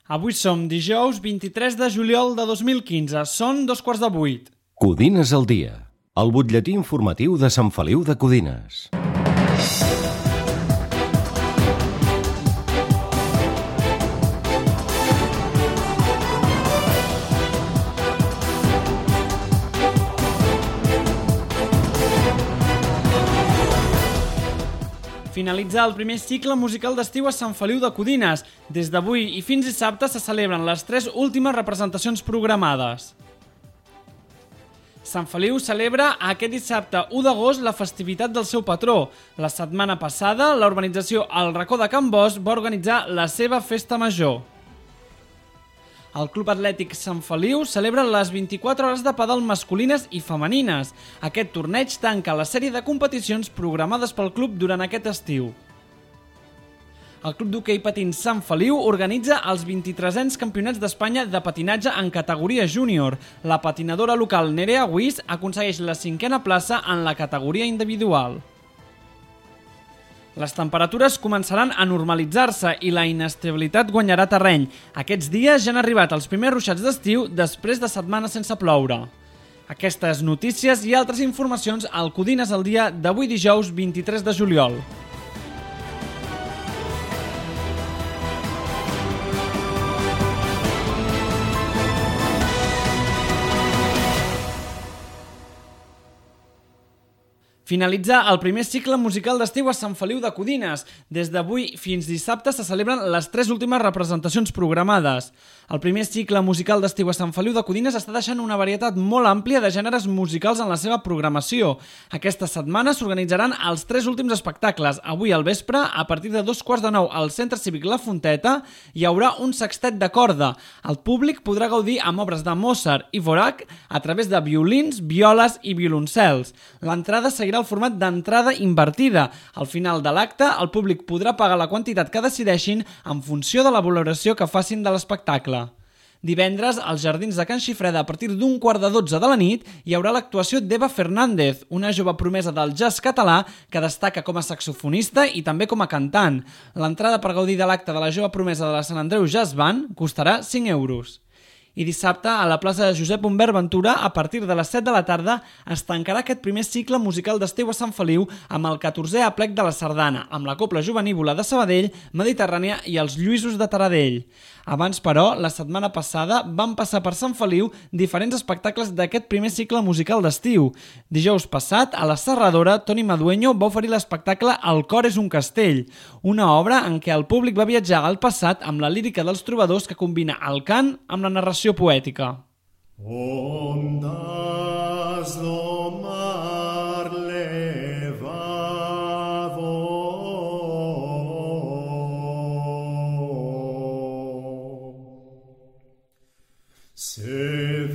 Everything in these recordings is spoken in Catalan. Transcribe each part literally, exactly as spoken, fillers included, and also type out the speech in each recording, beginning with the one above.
Avui som dijous vint-i-tres de juliol de dos mil quinze. Són dos quarts de vuit. Codines al dia. El butlletí informatiu de Sant Feliu de Codines. Finalitza el primer cicle musical d'estiu a Sant Feliu de Codines. Des d'avui i fins dissabte se celebren les tres últimes representacions programades. Sant Feliu celebra aquest dissabte u d'agost la festivitat del seu patró. La setmana passada, la urbanització El Racó de Can Bos va organitzar la seva festa major. El Club Atlètic Sant Feliu celebra les vint-i-quatre hores de pàdel masculines i femenines. Aquest torneig tanca la sèrie de competicions programades pel club durant aquest estiu. El Club d'Hoquei Patins Sant Feliu organitza els vint-i-tresens Campionats d'Espanya de patinatge en categoria júnior. La patinadora local Nerea Guís aconsegueix la cinquena plaça en la categoria individual. Les temperatures començaran a normalitzar-se i la inestabilitat guanyarà terreny. Aquests dies ja han arribat els primers ruixats d'estiu després de setmanes sense ploure. Aquestes notícies i altres informacions al Codines al dia d'avui dijous vint-i-tres de juliol. Finalitza el primer cicle musical d'estiu a Sant Feliu de Codines. Des d'avui fins dissabte se celebren les tres últimes representacions programades. El primer cicle musical d'estiu a Sant Feliu de Codines està deixant una varietat molt àmplia de gèneres musicals en la seva programació. Aquesta setmana s'organitzaran els tres últims espectacles. Avui al vespre, a partir de dos quarts de nou al Centre Cívic La Fonteta, hi haurà un sextet de corda. El públic podrà gaudir amb obres de Mozart i Dvořák a través de violins, violes i violoncels. L'entrada seguirà el format d'entrada invertida. Al final de l'acte, el públic podrà pagar la quantitat que decideixin en funció de la valoració que facin de l'espectacle. Divendres, als Jardins de Can Xifreda, a partir d'un quart de dotze de la nit, hi haurà l'actuació d'Eva Fernández, una jove promesa del jazz català que destaca com a saxofonista i també com a cantant. L'entrada per gaudir de l'acte de la jove promesa de la Sant Andreu Jazz Band costarà cinc euros. I dissabte, a la plaça de Josep Humbert Ventura, a partir de les set de la tarda, es tancarà aquest primer cicle musical d'estiu a Sant Feliu amb el catorzè aplec de la Sardana, amb la Cobla Jovenívola de Sabadell, Mediterrània i els Lluïsos de Taradell. Abans, però, la setmana passada van passar per Sant Feliu diferents espectacles d'aquest primer cicle musical d'estiu. Dijous passat, a la Serradora, Toni Madueño va oferir l'espectacle El cor és un castell, una obra en què el públic va viatjar al passat amb la lírica dels trobadors que combina el cant amb la narració poètica. Ondas do mar levado, se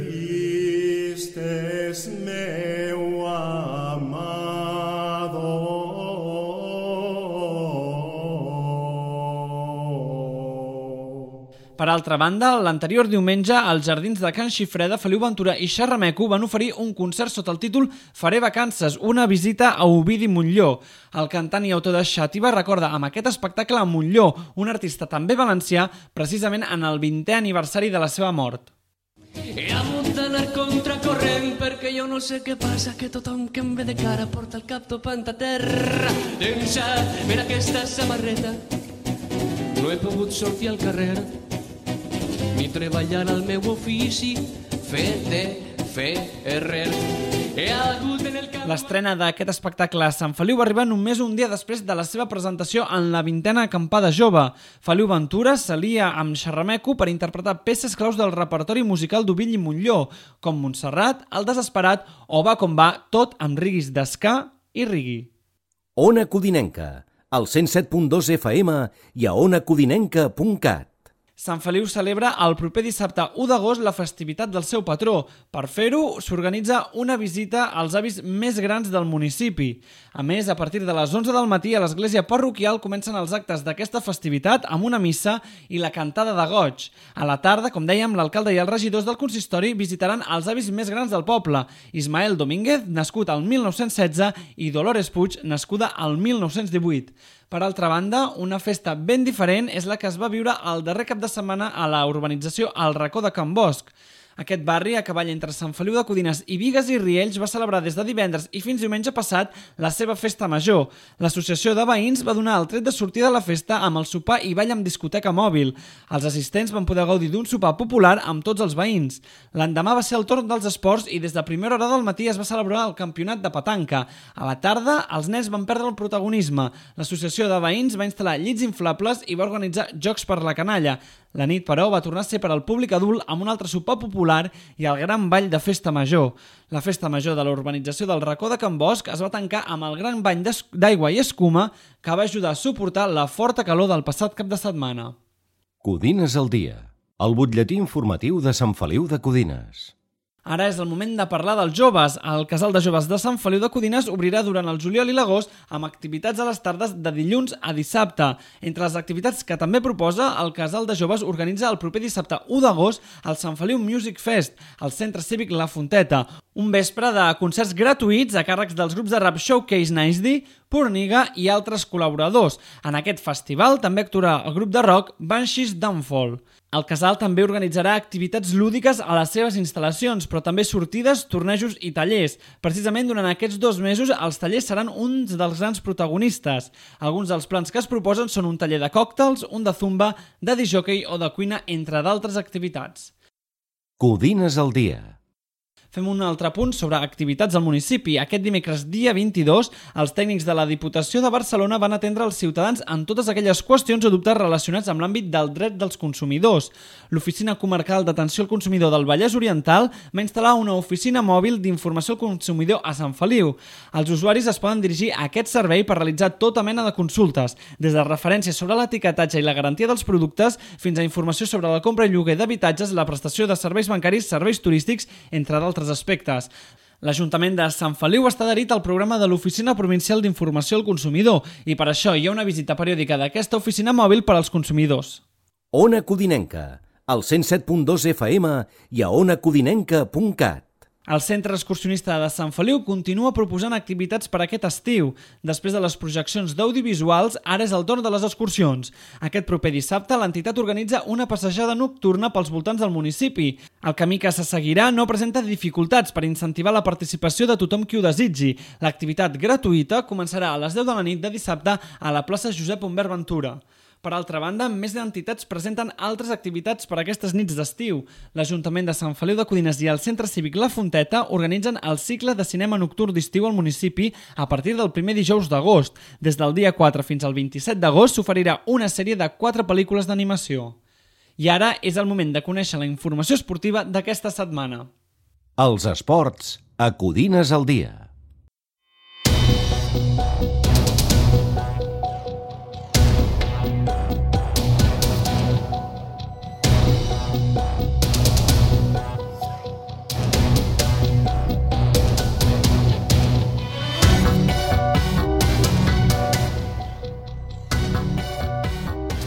vistes meu amado. Per altra banda, l'anterior diumenge, als Jardins de Can Xifreda, Feliu Ventura i Xerrameco van oferir un concert sota el títol Faré vacances, una visita a Ovidi Montllor. El cantant i autor de Xàtiva recorda amb aquest espectacle a Montllor, un artista també valencià, precisament en el vintè aniversari de la seva mort. He hagut d'anar contracorrent perquè jo no sé què passa, que tothom que em ve de cara porta el cap topant a terra. Deixat per aquesta samarreta no he pogut sortir al carrer ni treballar al meu ofici, fer de ferrer. He hagut en el camp... L'estrena d'aquest espectacle a Sant Feliu va arribar només un dia després de la seva presentació en la vintena acampada jove. Feliu Ventura s'alia amb Xerrameco per interpretar peces claus del repertori musical d'Ovidi Montllor, com Montserrat, El desesperat o Va com va, tot amb riguis d'esca i rigui. Ona Codinenca, al cent set punt dos F M i a ona codinenca punt cat. Sant Feliu celebra el proper dissabte u d'agost la festivitat del seu patró. Per fer-ho, s'organitza una visita als avis més grans del municipi. A més, a partir de les onze del matí a l'església parroquial comencen els actes d'aquesta festivitat amb una missa i la cantada de goig. A la tarda, com dèiem, l'alcalde i els regidors del consistori visitaran els avis més grans del poble. Ismael Domínguez, nascut al mil nou-cents setze, i Dolores Puig, nascuda al mil nou-cents divuit. Per altra banda, una festa ben diferent és la que es va viure el darrer cap de setmana a la urbanització El Racó de Can Bosch. Aquest barri, a cavall entre Sant Feliu de Codines i Bigues i Riells, va celebrar des de divendres i fins diumenge passat la seva festa major. L'associació de veïns va donar el tret de sortida de la festa amb el sopar i ball amb discoteca mòbil. Els assistents van poder gaudir d'un sopar popular amb tots els veïns. L'endemà va ser el torn dels esports i des de primera hora del matí es va celebrar el campionat de petanca. A la tarda, els nens van perdre el protagonisme. L'associació de veïns va instal·lar llits inflables i va organitzar jocs per la canalla. La nit, però, va tornar a ser per al públic adult amb un altre sopar popular i el gran ball de festa major. La festa major de la urbanització del Racó de Can Bosch es va tancar amb el gran bany d'aigua i escuma que va ajudar a suportar la forta calor del passat cap de setmana. Codines al dia, el butlletí informatiu de Sant Feliu de Codines. Ara és el moment de parlar dels joves. El Casal de Joves de Sant Feliu de Codines obrirà durant el juliol i l'agost amb activitats a les tardes de dilluns a dissabte. Entre les activitats que també proposa, el Casal de Joves organitza el proper dissabte u d'agost el Sant Feliu Music Fest, al Centre Cívic La Fonteta. Un vespre de concerts gratuïts a càrrecs dels grups de rap Showcase Nice D, Porniga i altres col·laboradors. En aquest festival també actuarà el grup de rock Banshees Downfall. El casal també organitzarà activitats lúdiques a les seves instal·lacions, però també sortides, tornejos i tallers. Precisament durant aquests dos mesos els tallers seran uns dels grans protagonistes. Alguns dels plans que es proposen són un taller de còctels, un de zumba, de disjockey o de cuina, entre d'altres activitats. Codines al dia. Fem un altre punt sobre activitats al municipi. Aquest dimecres, dia vint-i-dos, els tècnics de la Diputació de Barcelona van atendre els ciutadans en totes aquelles qüestions o dubtes relacionats amb l'àmbit del dret dels consumidors. L'Oficina Comarcal d'Atenció al Consumidor del Vallès Oriental va instal·lar una oficina mòbil d'informació al consumidor a Sant Feliu. Els usuaris es poden dirigir a aquest servei per realitzar tota mena de consultes, des de referències sobre l'etiquetatge i la garantia dels productes fins a informació sobre la compra i lloguer d'habitatges, la prestació de serveis bancaris, serveis turístics, entre d'altres aspectes. L'Ajuntament de Sant Feliu està adherit al programa de l'Oficina Provincial d'Informació al Consumidor i per això hi ha una visita periòdica d'aquesta oficina mòbil per als consumidors. Ona Codinenca, al cent set punt dos F M i a ona codinenca punt cat. El Centre Excursionista de Sant Feliu continua proposant activitats per aquest estiu. Després de les projeccions d'audiovisuals, ara és el torn de les excursions. Aquest proper dissabte, l'entitat organitza una passejada nocturna pels voltants del municipi. El camí que se seguirà no presenta dificultats per incentivar la participació de tothom qui ho desitgi. L'activitat gratuïta començarà a les deu de la nit de dissabte a la plaça Josep Humbert Ventura. Per altra banda, més entitats presenten altres activitats per a aquestes nits d'estiu. L'Ajuntament de Sant Feliu de Codines i el Centre Cívic La Fonteta organitzen el cicle de cinema nocturn d'estiu al municipi a partir del primer dijous d'agost. Des del dia quatre fins al vint-i-set d'agost s'oferirà una sèrie de quatre pel·lícules d'animació. I ara és el moment de conèixer la informació esportiva d'aquesta setmana. Els esports a Codines al dia.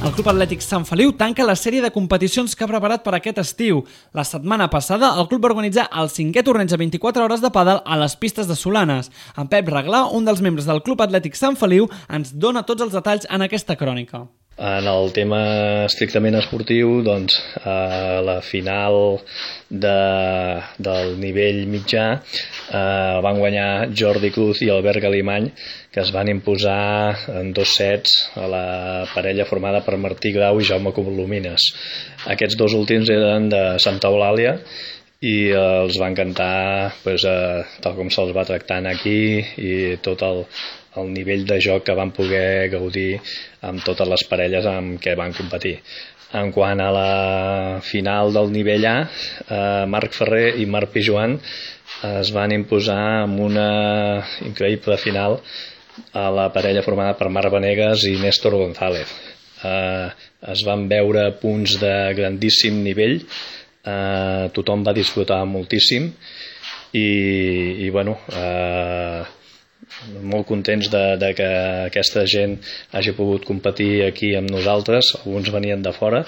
El Club Atlètic Sant Feliu tanca la sèrie de competicions que ha preparat per aquest estiu. La setmana passada, el club va organitzar el cinquè torneig de vint-i-quatre hores de pàdel a les pistes de Solanes. En Pep Reglà, un dels membres del Club Atlètic Sant Feliu, ens dona tots els detalls en aquesta crònica. En el tema estrictament esportiu, doncs, a la final de, del nivell mitjà eh, van guanyar Jordi Cruz i Albert Galimany, que es van imposar en dos sets a la parella formada per Martí Grau i Jaume Colomines. Aquests dos últims eren de Santa Eulàlia i els van cantar pues, eh, tal com se'ls va tractant aquí i tot el, el nivell de joc que van poder gaudir amb totes les parelles amb què van competir. En quant a la final del nivell A, eh, Marc Ferrer i Marc Pijuan es van imposar amb una increïble final a la parella formada per Marc Vanegas i Néstor González. Eh, es van veure punts de grandíssim nivell, eh, tothom va disfrutar moltíssim i, i bueno, eh, molt contents de, de que aquesta gent hagi pogut competir aquí amb nosaltres. Alguns venien de fora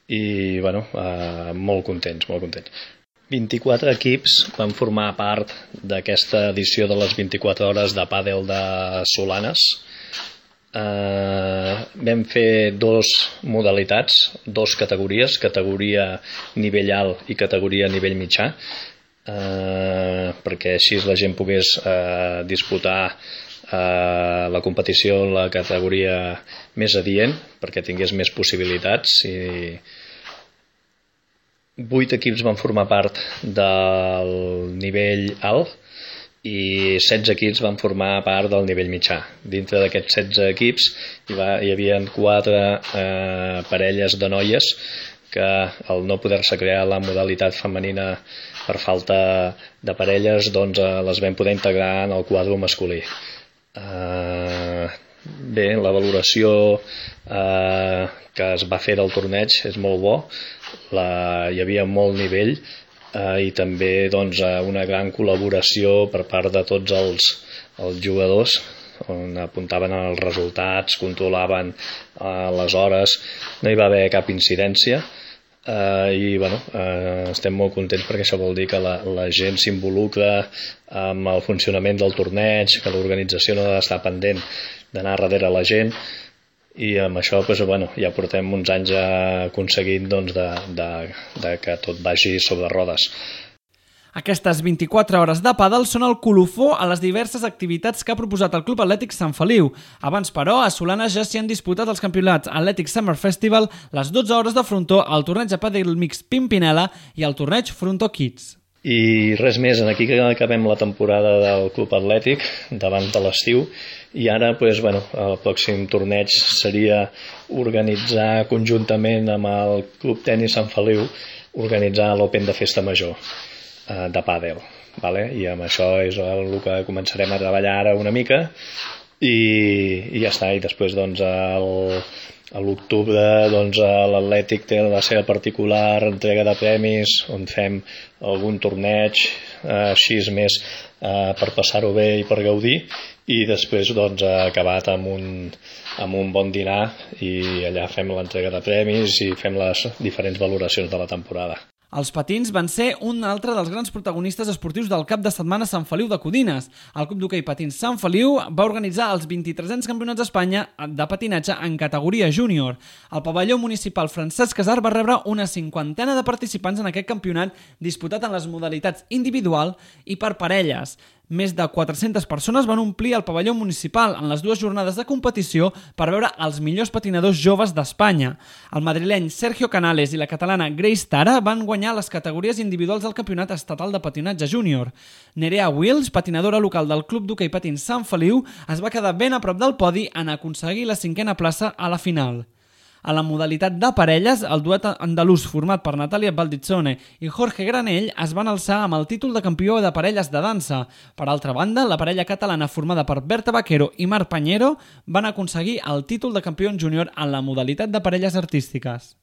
i bueno, eh, molt contents, molt contents. vint-i-quatre equips van formar part d'aquesta edició de les vint-i-quatre hores de pàdel de Solanes eh, vam fer dos modalitats, dos categories, categoria nivell alt i categoria nivell mitjà, eh, perquè així la gent pogués eh, disputar eh, la competició en la categoria més adient, perquè tingués més possibilitats. I vuit equips van formar part del nivell alt i setze equips van formar part del nivell mitjà. Dintre d'aquests setze equips hi, va, hi havia quatre eh, parelles de noies que al no poder-se crear la modalitat femenina per falta de parelles, doncs eh, les vam poder integrar en el quadre masculí. Eh, bé, la valoració eh, que es va fer del torneig és molt bo, la, hi havia molt nivell eh, i també doncs, una gran col·laboració per part de tots els, els jugadors, on apuntaven els resultats, controlaven eh, les hores, no hi va haver cap incidència. Uh, i bueno, uh, estem molt contents perquè això vol dir que la, la gent s'involucra amb el funcionament del torneig, que l'organització no ha d'estar pendent d'anar darrere la gent, i amb això doncs, bueno, ja portem uns anys aconseguint doncs, de, de, de que tot vagi sobre rodes. Aquestes vint-i-quatre hores de pàdel són el colofó a les diverses activitats que ha proposat el Club Atlètic Sant Feliu. Abans, però, a Solana ja s'hi han disputat els campionats Athletic Summer Festival, les dotze hores de frontó, el torneig de pàdel mix Pimpinela i el torneig Frontó Kids. I res més, aquí que acabem la temporada del Club Atlètic davant de l'estiu, i ara doncs, bueno, el pròxim torneig seria organitzar conjuntament amb el Club Tenis Sant Feliu, organitzar l'Open de Festa Major de pàdel, vale? I amb això és el que començarem a treballar ara una mica i, i ja està. I després doncs, el, a l'octubre doncs, l'Atlètic té la seva particular entrega de premis on fem algun torneig eh, així més eh, per passar-ho bé i per gaudir, i després doncs, acabat amb un, amb un bon dinar, i allà fem l'entrega de premis i fem les diferents valoracions de la temporada. Els patins van ser un altre dels grans protagonistes esportius del cap de setmana Sant Feliu de Codines. El Club d'Hoquei Patins Sant Feliu va organitzar els vint-i-tresens Campionats d'Espanya de patinatge en categoria júnior. El pavelló municipal Francesc Casar va rebre una cinquantena de participants en aquest campionat disputat en les modalitats individual i per parelles. Més de quatre-centes persones van omplir el pavelló municipal en les dues jornades de competició per veure els millors patinadors joves d'Espanya. El madrileny Sergio Canales i la catalana Grace Tara van guanyar les categories individuals del Campionat Estatal de Patinatge Júnior. Nerea Wills, patinadora local del Club d'Hoquei Patins Sant Feliu, es va quedar ben a prop del podi en aconseguir la cinquena plaça a la final. A la modalitat de parelles, el duet andalús format per Natàlia Valdizzone i Jorge Granell es van alçar amb el títol de campió de parelles de dansa. Per altra banda, la parella catalana formada per Berta Vaquero i Marc Pañero van aconseguir el títol de campió júnior en la modalitat de parelles artístiques.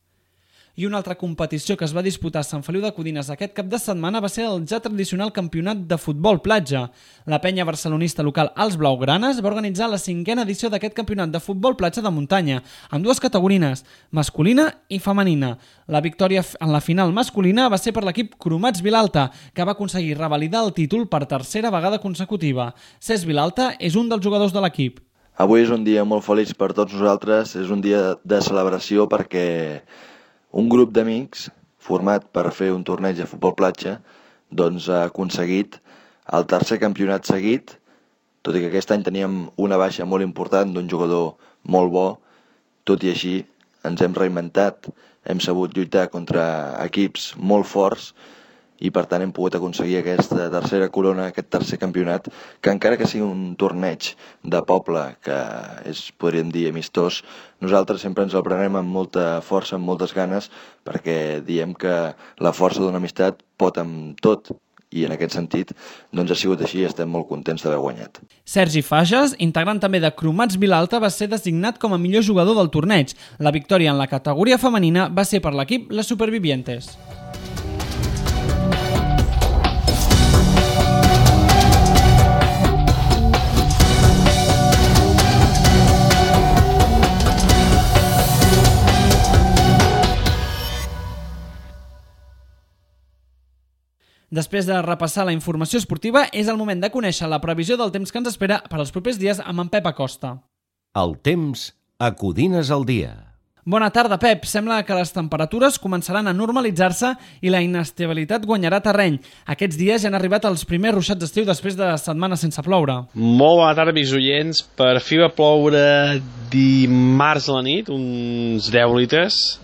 I una altra competició que es va disputar a Sant Feliu de Codines aquest cap de setmana va ser el ja tradicional campionat de futbol platja. La penya barcelonista local Els Blaugranes va organitzar la cinquena edició d'aquest campionat de futbol platja de muntanya, amb dues categories, masculina i femenina. La victòria en la final masculina va ser per l'equip Cromats Vilalta, que va aconseguir revalidar el títol per tercera vegada consecutiva. Cesc Vilalta és un dels jugadors de l'equip. Avui és un dia molt feliç per tots nosaltres, és un dia de celebració perquè un grup d'amics format per fer un torneig de futbol platja doncs ha aconseguit el tercer campionat seguit, tot i que aquest any teníem una baixa molt important d'un jugador molt bo. Tot i així ens hem reinventat, hem sabut lluitar contra equips molt forts i per tant hem pogut aconseguir aquesta tercera corona, aquest tercer campionat, que encara que sigui un torneig de poble, que és, podríem dir, amistós, nosaltres sempre ens el prenem amb molta força, amb moltes ganes, perquè diem que la força d'una amistat pot amb tot, i en aquest sentit doncs ha sigut així i estem molt contents d'haver guanyat. Sergi Fages, integrant també de Cromats Vilalta, va ser designat com a millor jugador del torneig. La victòria en la categoria femenina va ser per l'equip Les Supervivientes. Després de repassar la informació esportiva, és el moment de conèixer la previsió del temps que ens espera per als propers dies amb en Pep Acosta. El temps a Codines al dia. Bona tarda, Pep. Sembla que les temperatures començaran a normalitzar-se i la inestabilitat guanyarà terreny. Aquests dies ja han arribat els primers ruixats d'estiu després de setmanes sense ploure. Molt bona tarda, amics oients. Per fi va ploure dimarts a la nit, uns deu litres.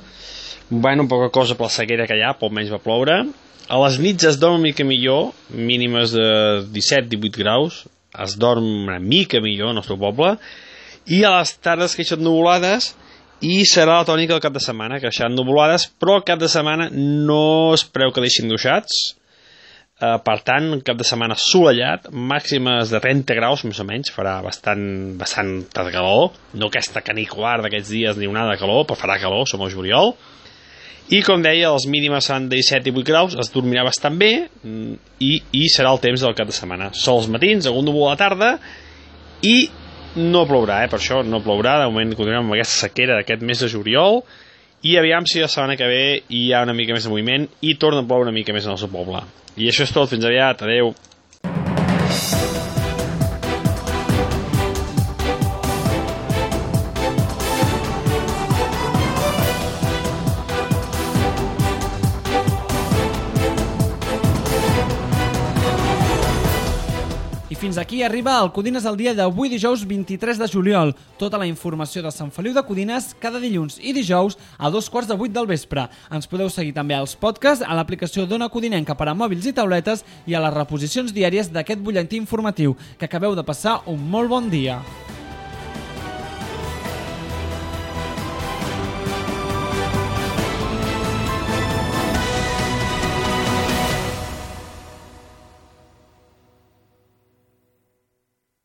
Bueno, poca cosa per la sequera que hi ha, poc menys va ploure. A les nits es dorm una mica millor, mínimes de disset a divuit graus. Es dorm una mica millor al nostre poble. I a les tardes que hi són nuvolades, i serà la tònica del cap de setmana, que seran nuvolades, però el cap de setmana no es preveu que deixin ruixats. Uh, per tant, cap de setmana assolellat, màximes de trenta graus, més o menys, farà bastant, bastant de calor, no aquesta canicular d'aquests dies ni onada de calor, però farà calor, som al juliol. I, com deia, les mínimes seran de disset a divuit graus, es dormirà bastant bé, i, i serà el temps del cap de setmana. Sols matins, algun núvol a la tarda, i no plourà, eh? Per això no plourà. De moment continuem amb aquesta sequera d'aquest mes de juliol i aviam si la setmana que ve hi ha una mica més de moviment i torna a ploure una mica més en el seu poble. I això és tot, fins aviat, adeu. Fins aquí arriba el Codines al dia d'avui dijous vint-i-tres de juliol. Tota la informació de Sant Feliu de Codines cada dilluns i dijous a dos quarts de vuit del vespre. Ens podeu seguir també als podcasts, a l'aplicació d'Ona Codinenca per a mòbils i tauletes i a les reposicions diàries d'aquest butlletí informatiu. Que acabeu de passar un molt bon dia.